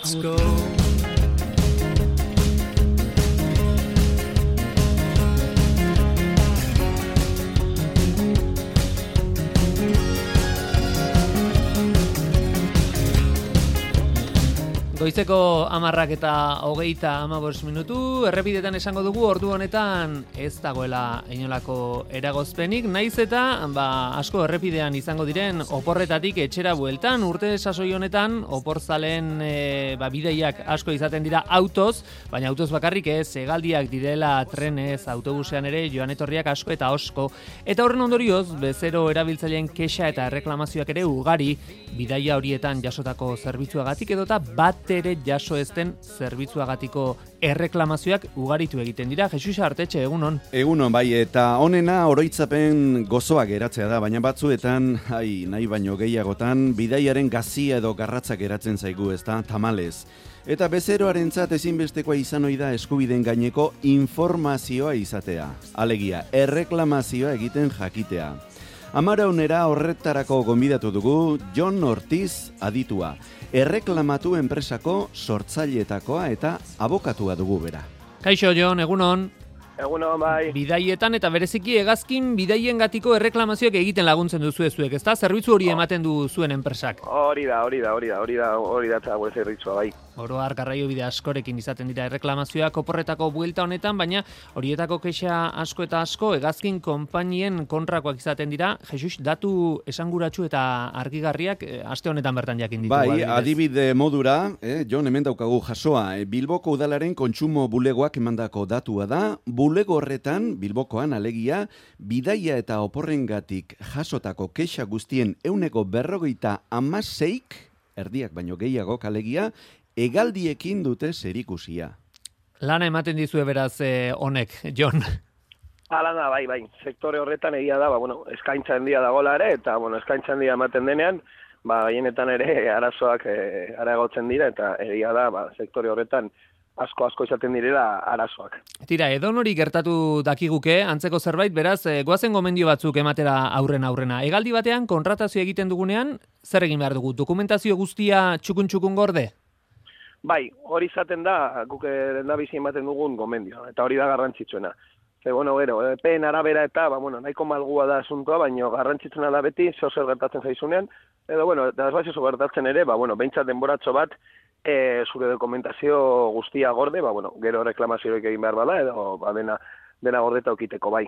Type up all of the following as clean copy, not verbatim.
Let's go. Goizeko 10:25 errepidetan esango dugu ordu honetan ez dagoela inolako eragozpenik, naiz eta asko errepidean izango diren oporretatik etxera bueltan, urte sasoi honetan oporzaleen bidaiak asko izaten dira autoz, baina autoz bakarrik ez, hegaldiak direla trenez, autobusean ere joan etorriak asko eta osko. Eta horren ondorioz, bezero erabiltzaileen kexa eta erreklamazioak ere ugari, bidaia horietan jasotako zerbitzuagatik edota bat ere jaso ezten zerbitzuagatiko erreklamazioak ugaritu egiten dira. Jesus Artetxe, egunon. Egunon, bai, eta honena oroitzapen gozoa geratzea da, baina batzuetan, nahi baino gehiagotan, bidaiaren gazia edo garratzak geratzen zaigu, ezta, tamalez. Eta bezeroarentzat ezinbestekoa izan ohi da eskubideen gaineko informazioa izatea. Alegia, erreklamazioa egiten jakitea. Amaraunera horretarako gonbidatu dugu Jon Ortiz aditua. Erreklamatu enpresako sortzaileetakoa eta abokatua dugu bera. Kaixo, Jon, egunon. Egunon, bai. Bidaietan eta bereziki hegazkin bidaiengatiko erreklamazioak egiten laguntzen duzu zuek, ezta? Zerbitzu hori ematen du zuen enpresak. Hori da eta gure zerbitzua, bai. Oro har garraiobide askorekin izaten dira erreklamazioak oporretako buelta honetan, baina horietako kexa asko eta asko hegazkin konpainien kontrakoak izaten dira. Jesus, datu esanguratsu eta argigarriak aste honetan bertan jakin ditugu. Bai, adibide modura, Jon, hemen daukagu jasoa, Bilboko udalaren kontsumo bulegoak emandako datua da, bulego horretan, Bilbokoan alegia, bidaia eta oporrengatik jasotako kexa guztien 46%, erdiak baino gehiago alegia, hegaldiekin dute zerikusia. Lana ematen dizue beraz honek, Jon. Hala da, bai. Sektore horretan egia da, eskaintza handia dagoela ere, eta eskaintza handia ematen denean, gehienetan ere arazoak areagotzen dira, eta egia da, sektore horretan asko izaten direla arazoak. Tira, edonori gertatu dakiguke, antzeko zerbait, beraz, goazen gomendio batzuk ematera aurrena. Hegaldi batean, kontratazio egiten dugunean, zer egin behar dugu? Dokumentazio guztia txukun gorde? Bai, hori izaten da, guk lehendabizi ematen dugun gomendioa, eta hori da garrantzitsuena. Epeen arabera eta, nahiko malgua da asuntoa, baina garrantzitsuena da beti, zer gertatzen zaizunean, edo, eta ez gertatzen ere, behintzat denboratxo bat, zure dokumentazio guztia gorde, gero reklamazioak egin behar bada, edo dena gordeta okiteko, bai.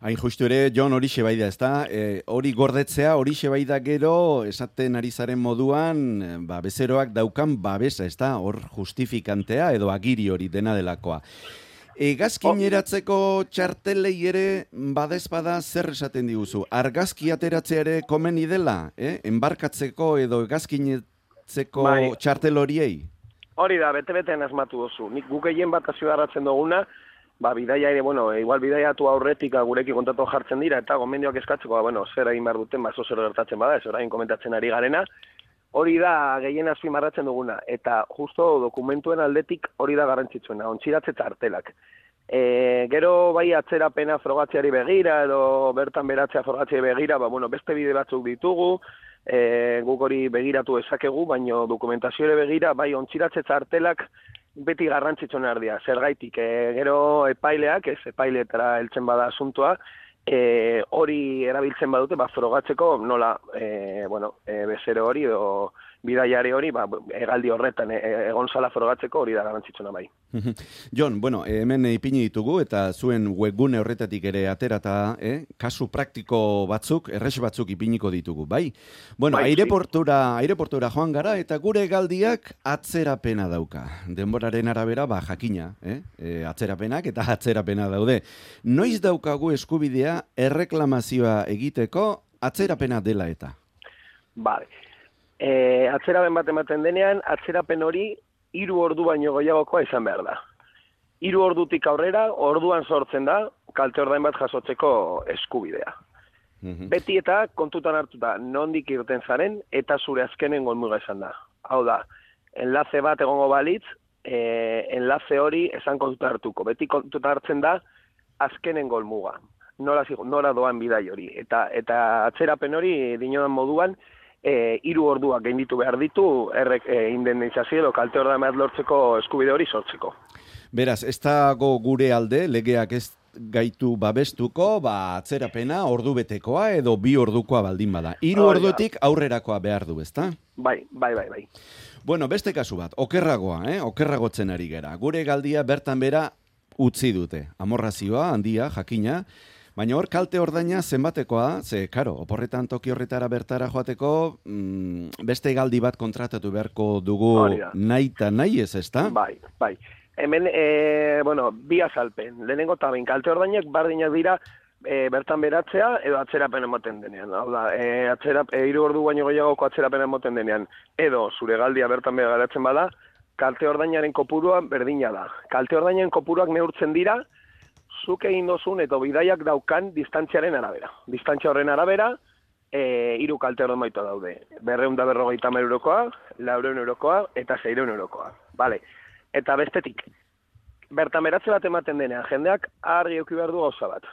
Hain justu ere, Jon, horixe bai da, ezta? Hori gordetzea, horixe bai da gero, esaten ari zaren moduan, bezeroak daukan babesa, ezta? Hor justifikantea edo agiri hori dena delakoa. Hegazkin eratzeko txartelei ere badezpada zer esaten diguzu? Argazki ateratzea ere komeni dela, enbarkatzeko edo hegazkinetzeko txartel horiei? Hori da, bete-betean asmatu dozu. Nik guk egin bat azioarratzen duguna, bidaia ere, igual bidaiatu aurretik gureki kontatu jartzen dira, eta gomendioak eskatzeko, zer egin behar duten, zer gertatzen bada, ez orain komentatzen ari garena, hori da gehien azpimarratzen duguna, eta justo dokumentuen aldetik hori da garrantzitsuena, ontziratze txartelak. Gero bai atzerapena frogatzeari begira, edo bertan beratzea frogatzeari begira, beste bide batzuk ditugu, guk hori begiratu ezakegu, baina dokumentazioare begira, bai ontziratze txartelak beti garrantzitsuena erdia. Zergaitik, gero epaileak, epaileetara heltzen bada asuntoa, hori erabiltzen badute, frogatzeko nola, bezero hori edo bidaiari hori, hegaldi horretan egon zala frogatzeko hori da garrantzitsuna bai. Jon, hemen ipini ditugu eta zuen webgune horretatik ere aterata, kasu praktiko batzuk, errex batzuk ipiniko ditugu, bai? Aireportura joan gara eta gure hegaldiak atzerapena dauka. Denboraren arabera, jakina, atzerapenak eta atzerapena daude. Noiz daukagu eskubidea erreklamazioa egiteko atzerapena dela eta? Bale. Atzerapen bat ematen denean, atzerapen hori 3 ordu baino gehiagokoa izan behar da. 3 ordutik aurrera, orduan sortzen da, kalte ordain bat jasotzeko eskubidea. Beti eta kontutan hartuta nondik irten zaren, eta zure azkenen golmuga izan da. Hau da, enlace bat egongo balitz, enlace hori esan kontutan hartuko. Beti kontutan hartzen da, azkenen golmuga. Nora doan bidai hori. Eta atzerapen hori, dinodan moduan, 3 orduak gainditu behar ditu indemnizazio edo kalte ordaina lortzeko eskubide hori sortzeko. Beraz, ez dago gure alde, legeak ez gaitu babestuko, atzerapena ordubetekoa edo 2 ordukoa baldin bada. 3 ordutik aurrerakoa behar du, ezta? Bai. Bueno, beste kasu bat, okerragotzen ari gera. Gure galdia bertan bera utzi dute. Amorrazioa, handia, jakina, baina hor kalte ordaina zenbatekoa, karo, oporretan toki horretara bertara joateko, beste galdi bat kontratatu beharko dugu nahi eta nahi ezta? Bai. Hemen, 2 azalpen. Lehenengo eta behin, kalte ordainak bardinak dira bertan beratzea edo atzerapen emoten denean. Hau da, 3 ordu baino gehiagoko atzerapen emoten denean. Edo, zure galdia bertan bera garatzen bada, kalte ordainaren kopurua berdina da. Kalte ordainaren kopuruak neurtzen dira, zuk egin dozun eta bidaiak daukan distantziaren arabera. Distantzia horren arabera, 3 kalte ordainbaita daude. 250 eurokoa, 400 eurokoa eta 600 eurokoa. Vale. Eta bestetik, bertan beratze bat ematen denean, jendeak argi eduki behar du gauza bat.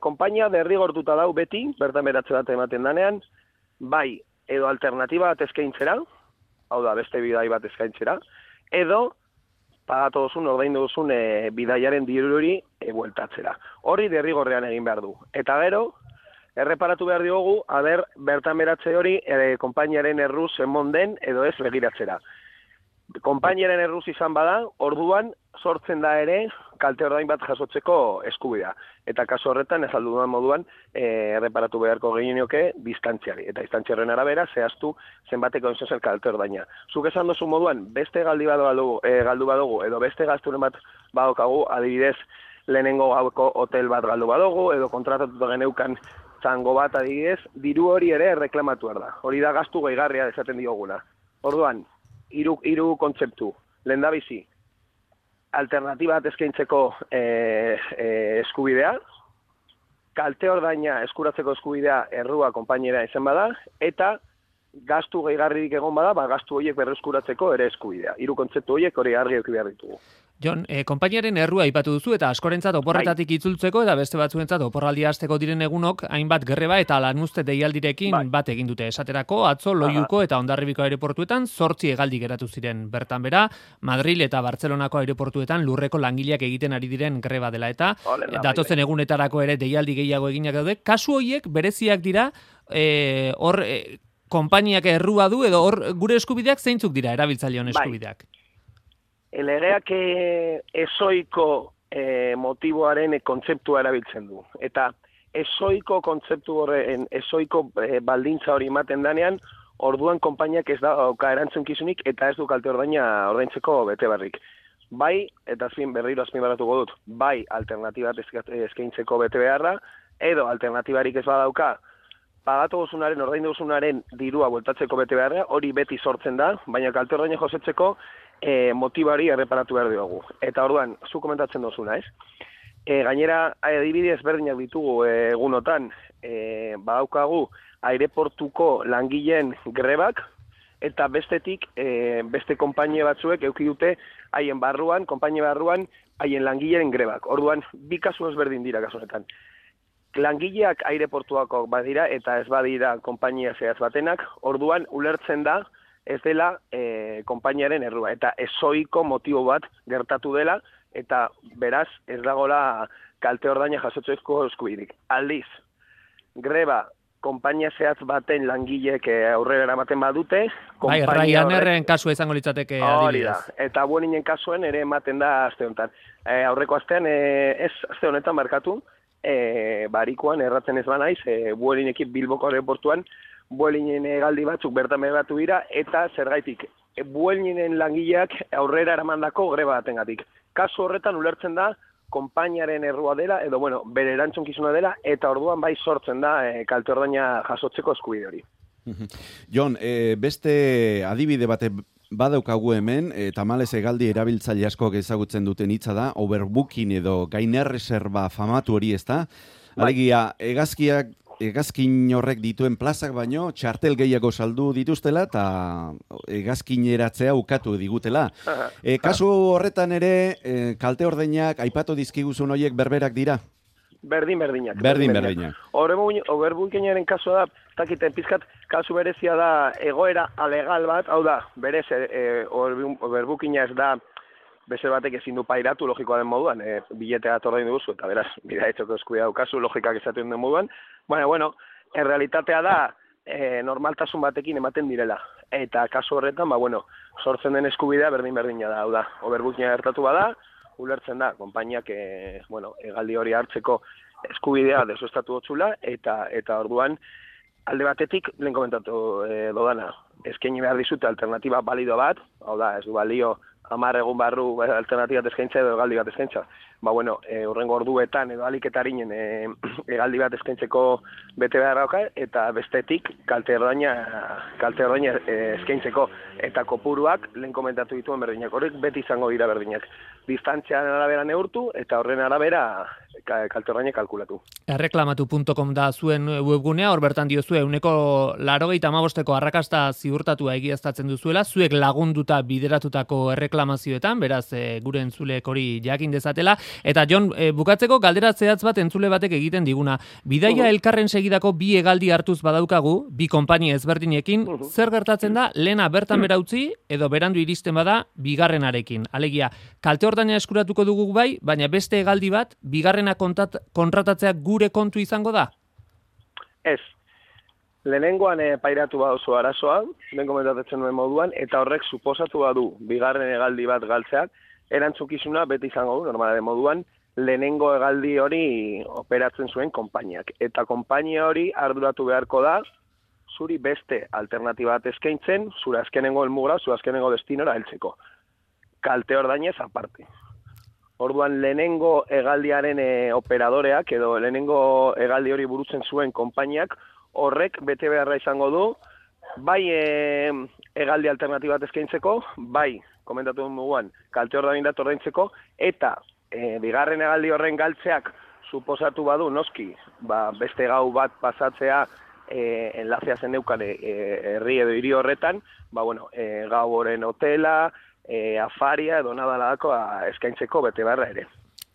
Konpainia derrigortuta dau beti, bertan beratze bat ematen denean, bai, edo alternatiba bat eskaintzera, hau da, beste bidai bat eskaintzera, edo pagatu duzun, ordaindu duzun bidaiaren diruri bueltatzera. Hori derrigorrean egin behar du. Eta gero, erreparatu behar diogu, bertan beratze hori konpainiaren erruz emon den edo ez begiratzera. Konpainiaren erruz izan bada, orduan sortzen da ere kalte ordain bat jasotzeko eskubidea. Eta kasu horretan, ez aldudan moduan, erreparatu beharko gehienioke distantziari. Eta distantziaren arabera, zehaztu zenbateko enzozen kalte ordaina. Zuk esan dozu moduan, beste galdi bat galdu badugu, edo beste gazturen bat badokagu, adibidez, lehenengo gauko hotel bat galdu badugu, edo kontratatuta geneukan zango bat adibidez, diru hori ere reklamatu da. Hori da gastu gehigarria esaten dioguna. Orduan, 3 kontzeptu. Lehendabizi, alternatiba bat eskaintzeko eskubidea, kalte ordaina eskuratzeko eskubidea errua konpainiera izan bada, eta gastu gehigarririk egon bada, gastu horiek berreskuratzeko ere eskubidea. 3 kontzeptu horiek hori argi eduki behar ditugu. Jon, konpainiaren errua aipatu duzu eta askorentzat oporretatik itzultzeko eta beste batzuentzat oporraldia hasteko diren egunok hainbat greba eta lanuzte deialdirekin bat egin dute. Esaterako atzo Loiuko eta Hondarribiko aireportuetan 8 hegaldi geratu ziren. Bertan bera, Madril eta Bartzelonako aireportuetan lurreko langileak egiten ari diren greba dela eta datozen egunetarako ere deialdi gehiago eginak daude. Kasu horiek bereziak dira hor konpainiak errua du edo hor gure eskubideak zeintzuk dira erabiltzaileon eskubideak. Legeak ezoiko motiboaren kontzeptua erabiltzen du. Eta ezoiko kontzeptu horren, ezoiko baldintza hori ematen danean, orduan konpainiak ez dauka erantzunkizunik eta ez du kalte ordaina ordaintzeko bete barrik. Bai, eta berriro azpimarratuko dut, bai alternatibat eskaintzeko bete beharra, edo alternatibarik ez badauka, pagatu duzunaren, ordaindu duzunaren dirua bueltatzeko bete beharra, hori beti sortzen da, baina kalte ordaina josetzeko motibari erreparatu behar diogu. Eta orduan, zu komentatzen duzuna, ez? Gainera, adibide ezberdinak ditugu egunotan, badaukagu aireportuko langileen grebak, eta bestetik, beste konpainia batzuek eduki dute haien barruan, konpainia barruan, haien langileen grebak. Orduan, 2 kasu ezberdin dira kasu honetan. Langileak aireportuako badira eta ez badira konpainia zehaz batenak, orduan ulertzen da ez dela konpainiaren errua. Eta ezoiko motibo bat gertatu dela, eta beraz ez dagoela kalte ordaina jasotzeko eskubiderik. Aldiz, greba konpainia zehaz baten langileek aurrera eramaten badute, bai, Ryanairren kasua izango litzateke adibidez. Eta Vuelingen kasuen ere ematen da aste honetan. Aurreko astean, ez aste honetan markatu, barikoan erratzen ez banaiz, Vuelingekin Bilboko aeroportuan, Vuelingen galdi batzuk bertan begatu dira, eta zergaitik, Vuelingen langileak aurrera eramandako greba batengatik. Kasu horretan ulertzen da, konpainiaren errua dela, edo bere erantzunkizuna dela, eta orduan bai sortzen da kalte ordaina jasotzeko eskubide hori. Jon, beste adibide bate badaukagu hemen, tamalez hegaldi erabiltzaile askok ezagutzen duten hitza da, overbooking edo gainerreserba famatu hori, ezta? Alegia, hegazkin horrek dituen plazak baino, txartel gehiago saldu dituztela eta hegazkineratzea ukatu digutela. Kasu horretan ere, kalte ordainak aipatu dizkiguzun horiek berberak dira? Berdinak. Berdinak. Overbookinaren kasua da, takiten pizkat, kasu berezia da egoera alegal bat, hau da, berez, overbookina ez da, bezer batek ezin du pairatu logikoa den moduan, biletea atordain duzu, eta beraz, bida etxoko eskubidea daukazu, logikak esaten den moduan, bueno, errealitatea da, normaltasun batekin ematen direla. Eta kasu horretan, sortzen den eskubidea berdina da, hau da, overbookina gertatu bada, ulertzen da, konpainiak, hegaldi hori hartzeko eskubidea desuestatu hotzula, eta orduan, alde batetik, lehen komentatu dodana, eskaini behar dizute alternatiba balido bat, hau da, ez du balio 10 egun barru alternatibat eskaintza edo hegaldi bat eskaintza. Hurrengo orduetan edo aliketarin hegaldi bat eskaintzeko bete behar dauka, eta bestetik kalte ordaina eskaintzeko. Eta kopuruak lehen komentatu dituen berdinak. Horrek beti izango dira berdinak. Distantzian arabera neurtu eta horren arabera kalte ordaina kalkulatu. Erreklamatu.com da zuen webgunea, hor bertan diozue 95% arrakasta ziurtatua egiaztatzen duzuela, zuek lagunduta bideratutako erreklamazioetan, beraz gure entzuleek hori jakin dezatela. Eta Jon, bukatzeko galdera zehatz bat entzule batek egiten diguna. Bidaia elkarren segidako bi hegaldi hartuz badaukagu, bi konpainia ezberdinekin, zer gertatzen da lehena bertan bera utzi edo berandu iristen bada bigarrenarekin. Alegia, kalte ordaina eskuratuko dugu bai, baina beste hegaldi bat bigarrena kontratatzea gure kontu izango da? Ez. Lehenengoan pairatu baduzu arazoa, lehen komentatzen nuen moduan, eta horrek suposatu badu bigarren hegaldi bat galtzeak, erantzukizuna beti izango du, normalaren moduan, lehenengo hegaldi hori operatzen zuen konpainiak. Eta konpainia hori arduratu beharko da, zuri beste alternatiba bat eskaintzen, zure azkenengo helmugara, zure azkenengo destinora heltzeko. Kalte ordainez aparte. Orduan lehenengo hegaldiaren operadoreak edo lehenengo hegaldi hori burutzen zuen konpainiak horrek bete beharra izango du, bai hegaldi alternatiba bat eskaintzeko, bai komentatu duguan, kalte ordaindat ordaintzeko, eta bigarren hegaldi horren galtzeak suposatu badu, noski, beste gau bat pasatzea enlazea zen neukan herri edo hiri horretan, gau horren hotela, afaria edo nadaladako eskaintzeko bete beharra ere.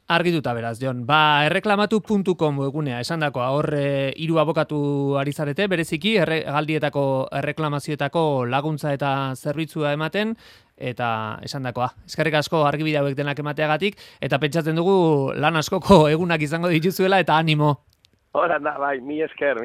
Argituta beraz, Jon. Erreklamatu.com egunea, esandakoa, hor 3 abokatu ari zarete, bereziki hegaldietako erreklamazioetako laguntza eta zerbitzua ematen, eta esandakoa. Eskerrik asko argibide hauek denak emateagatik, eta pentsatzen dugu lan askoko egunak izango dituzuela, eta animo. Horan da, bai, mi esker.